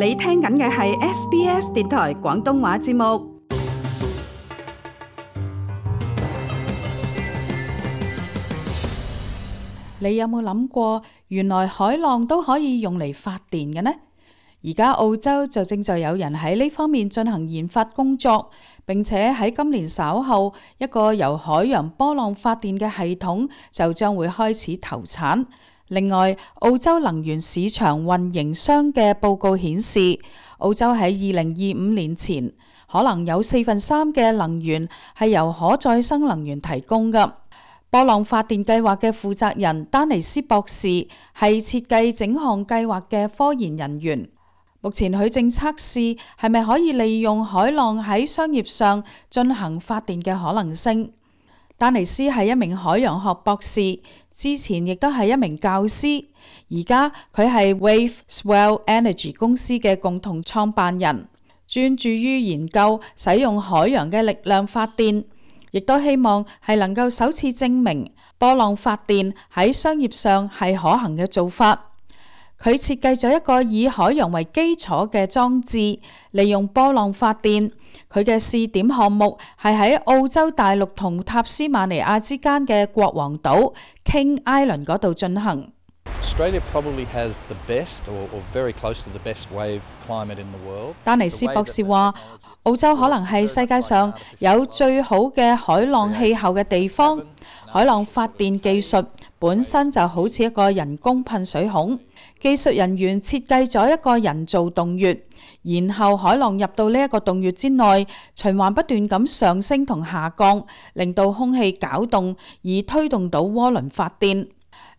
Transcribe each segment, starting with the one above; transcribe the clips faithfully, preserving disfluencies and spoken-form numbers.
你聽緊嘅係 S B S 電台廣東話節目。你有冇諗過，原來海浪都可以用嚟發電嘅呢？而家澳洲就正在有人喺呢方面進行研發工作，並且喺今年稍後，一個由海洋波浪發電嘅系統就將會開始投產。另外，澳洲能源市場運營商嘅報告顯示，澳洲喺二零二五年前，可能有四分三嘅能源係由可再生能源提供嘅。波浪發電計劃嘅負責人丹尼斯博士係設計整項計劃嘅科研人員。目前佢正測試係咪可以利用海浪喺商業上進行發電嘅可能性。丹尼斯係一名海洋學博士，之前亦都係一名教師，而家佢係 Wave Swell Energy 公司嘅共同創辦人，專注於研究使用海洋嘅力量發電，亦都希望係能夠首次證明波浪發電喺商業上係可行嘅做法。佢設計咗一個以海洋為基礎嘅裝置，利用波浪發電。佢嘅試點項目係喺澳洲大陸同塔斯馬尼亞之間嘅國王島 King Island 嗰度進行。Australia probably has the best or, or very close to the best wave climate in the world. 丹尼斯博士話，澳洲可能係世界上有最好嘅海浪氣候嘅地方。海浪發電技術本身就好似一個人工噴水孔。技術人員設計咗一個人造洞穴，然後海浪入到呢一個洞穴之內，循環不斷咁上升同下降，令到空氣攪動而推動到渦輪發電。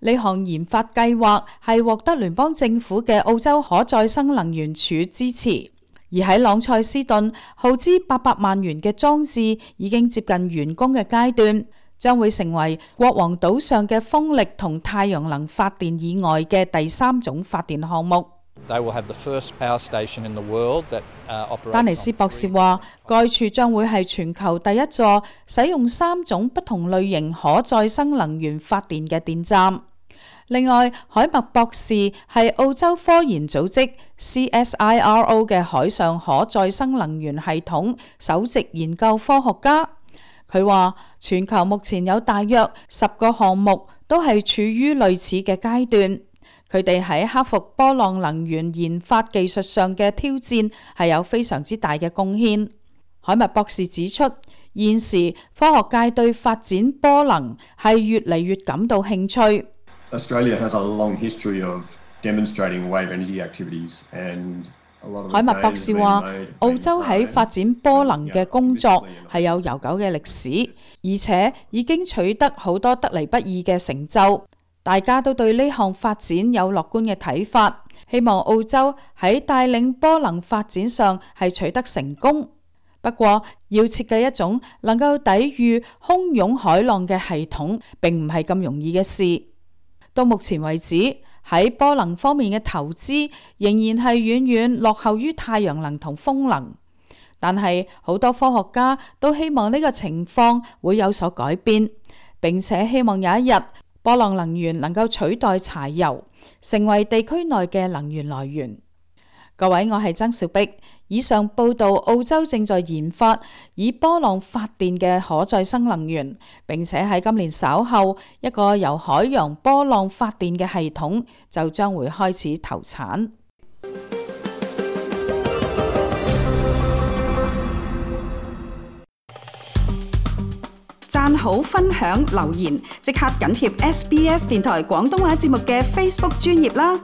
呢項研發計劃係獲得聯邦政府嘅澳洲可再生能源署支持，而喺朗塞斯頓耗資八百萬元嘅裝置已經接近完工嘅階段。將會成為國王島上嘅風力同太陽能發電以外嘅第三種發電項目。丹尼斯博士話，該處將會係全球第一座使用三種不同類型可再生能源發電嘅電站。另外，海默博士係澳洲科研組織 C S I R O 嘅海上可再生能源系統首席研究科學家。佢話全球目前有大約十個項目都係處於類似嘅階段，佢哋喺克服波浪能源研發技術上嘅挑戰係有非常之大嘅貢獻。海默博士指出，現時科學界對發展波能係越嚟越感到興趣。Australia has a long history of demonstrating wave energy activities and海默博士話，澳洲喺發展波能嘅工作係有悠久嘅歷史，而且已經取得好多得嚟不易嘅成就。大家都對呢項發展有樂觀嘅睇法，希望澳洲喺帶領波能發展上係取得成功。不過，要設計一種能夠抵禦洶湧海浪嘅系統，並唔係咁容易嘅事。到目前為止，喺波能方面嘅投資仍然係遠遠落後於太陽能同風能，但係好多科學家都希望呢個情況會有所改變，並且希望有一日波浪能源能夠取代柴油，成為地區內嘅能源來源。各位，我係曾兆碧。以上報道，澳洲正在研發以波浪發電嘅可再生能源，並且喺今年稍後，一個由海洋波浪發電嘅系統就將會開始投產。讚好、分享、留言，即刻緊貼 S B S 電台廣東話節目嘅 Facebook 專頁啦！